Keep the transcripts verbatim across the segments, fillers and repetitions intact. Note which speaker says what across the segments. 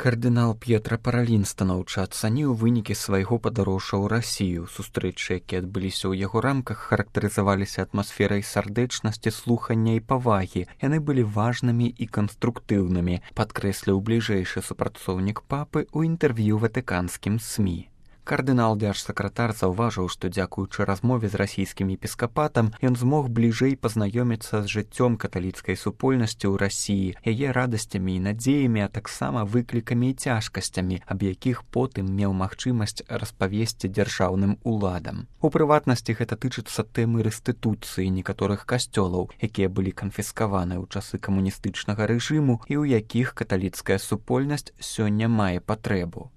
Speaker 1: Кардынал П'етра Паралін станоўча ацаніў вынікі свайго падарожжа ў Расію. Сустрэчы, якія адбыліся ў яго рамках, характарызаваліся атмасферай сардэчнасці, слухання і павагі. Яны былі важнымі і канструктыўнымі, падкрэсліў бліжэйшы супрацоўнік папы ў інтэрв'ю ватыканскім СМІ. Кардынал-дзяржсакратар заўважыў, што дзякуючы размове з расійскім епіскапатам ён змог бліжэй пазнаёміцца з жыццём каталіцкай супольнасці ў Расіі, яе радасцямі і надзеямі, а таксама выклікамі і цяжкасцямі, аб якіх потым меў магчымасць распавесці дзяржаўным уладам. У прыватнасці гэта тычыцца тэмы рэстытуцыі некаторых касцёлаў, якія былі канфіскаваны ў часы камуністычнага рэжыму і ў якіх каталіцкая супольнасць сёння мае патрэбу.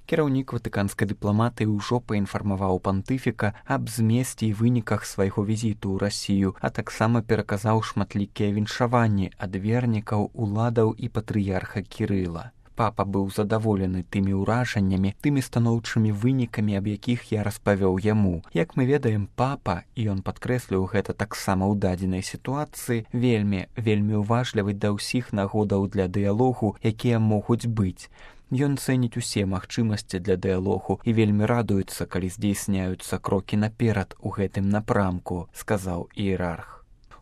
Speaker 1: Кіраўнік ватыканскай дыпламатыі ўжо паінфармаваў пантыфіка аб змесце і выніках свайго візіту ў Расію, а таксама пераказаў шматлікія віншаванні ад вернікаў, уладаў і патрыярха Кірыла. Папа быў задаволены тымі ўражаннямі, тымі станоўчымі вынікамі, аб якіх я распавёў яму. Як мы ведаем, папа, і ён падкрэсліў гэта таксама ў дадзенай сітуацыі, вельмі, вельмі уважлівы да ўсіх нагодаў для дыялогу, якія могуць быць. Ён цэніць усе магчымасці для дыялогу і вельмі радуецца, калі здзейсняюцца крокі наперад у гэтым напрамку, сказаў іерарх.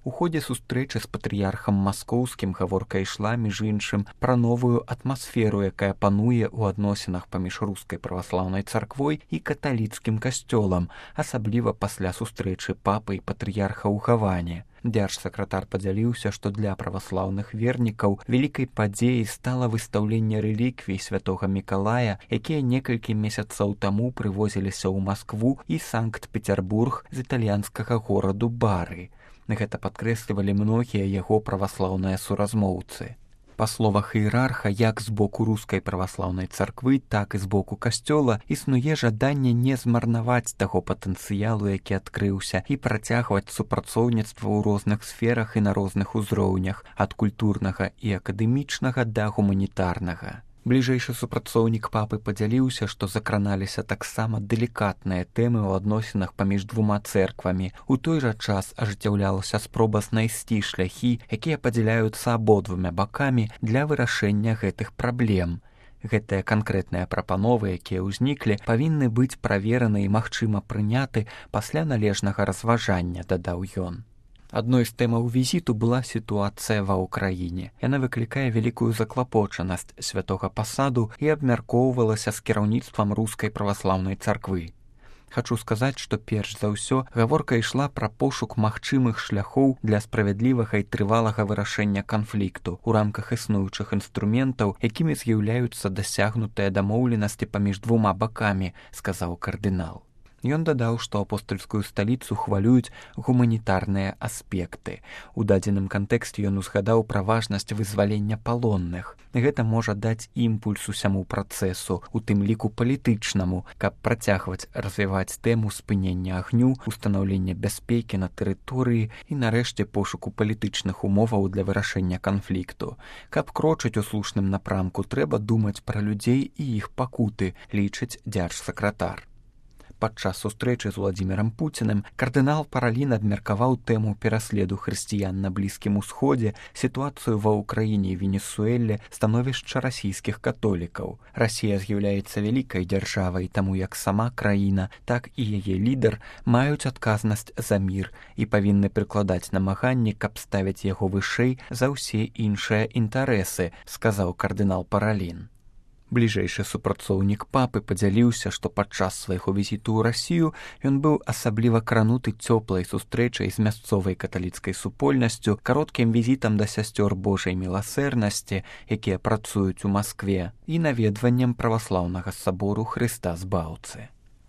Speaker 1: У ходзе сустрэчы з патрыярхам маскоўскім гаворка ішла, між іншым, пра новую атмасферу, якая пануе ў адносінах паміж рускай праваслаўнай царквой і каталіцкім касцёлам, асабліва пасля сустрэчы папы і патрыярха ў Гаване. Дзяржсакратар падзяліўся, што для праваслаўных вернікаў вялікай падзеяй стала выстаўленне рэліквій святога Мікалая, якія некалькі месяцаў таму прывозіліся ў Маскву і Санкт-Пецярбург з італьянскага гораду Бары. Гэта падкрэслівалі многія яго праваслаўныя суразмоўцы. Па словах іерарха, як з боку рускай праваслаўнай царквы, так і з боку касцёла існуе жаданне не змарнаваць таго патэнцыялу, які адкрыўся, і працягваць супрацоўніцтва ў розных сферах і на розных узроўнях, ад культурнага і акадэмічнага да гуманітарнага. Бліжэйшы супрацоўнік папы падзяліўся, што закраналіся таксама далікатныя тэмы ў адносінах паміж двума цэрквамі. У той жа час ажыццяўлялася спроба знайсці шляхі, якія падзяляюцца абодвумя бакамі для вырашэння гэтых праблем. Гэтыя канкрэтныя прапановы, якія ўзніклі, павінны быць правераны і магчыма прыняты пасля належнага разважання, дадаў ён. Адной з тэмаў візіту была сітуацыя ва ўкраіне. Яна выклікае вялікую заклапочанасць святога пасаду і абмяркоўвалася з кіраўніцтвам рускай праваслаўнай царквы. Хачу сказаць, што перш за ўсё гаворка ішла пра пошук магчымых шляхоў для справядлівага і трывалага вырашэння канфлікту ў рамках існуючых інструментаў, якімі з'яўляюцца дасягнутыя дамоўленасці паміж двума бакамі, сказаў кардынал. Ён дадаў, што апостальскую сталіцу хвалююць гуманітарныя аспекты. У дадзеным кантэксце ён узгадаў пра важнасць вызвалення палонных. Гэта можа даць імпульс усяму працэсу, у тым ліку палітычнаму, каб працягваць развіваць тэму спынення агню, устанаўлення бяспекі на тэрыторыі і, нарэшце, пошуку палітычных умоваў для вырашэння канфлікту. Каб крочыць у слушным напрамку, трэба думаць пра людзей і іх пакуты, лічыць дзяржсакратар. Падчас сустрэчы з Уладзімірам Пуціним кардынал Паралін абмеркаваў тэму пераследу хрысціян на Блізкім Усходзе, сітуацыю ва ўкраіне і Венесуэле, становішча расійскіх католікаў. Расія з'яўляецца вялікай дзяржавай, таму як сама краіна, так і яе лідар маюць адказнасць за мір і павінны прыкладаць намаганні, каб ставіць яго вышэй за ўсе іншыя інтарэсы, сказаў кардынал Паралін. Бліжэйшы супрацоўнік папы падзяліўся, што падчас свайго візіту ў Расію ён быў асабліва крануты цёплай сустрэчай з мясцовай каталіцкай супольнасцю, кароткім візітам да сясцёр Божай міласэрнасці, якія працуюць у Маскве, і наведваннем праваслаўнага сабору Хрыста Збаўцы.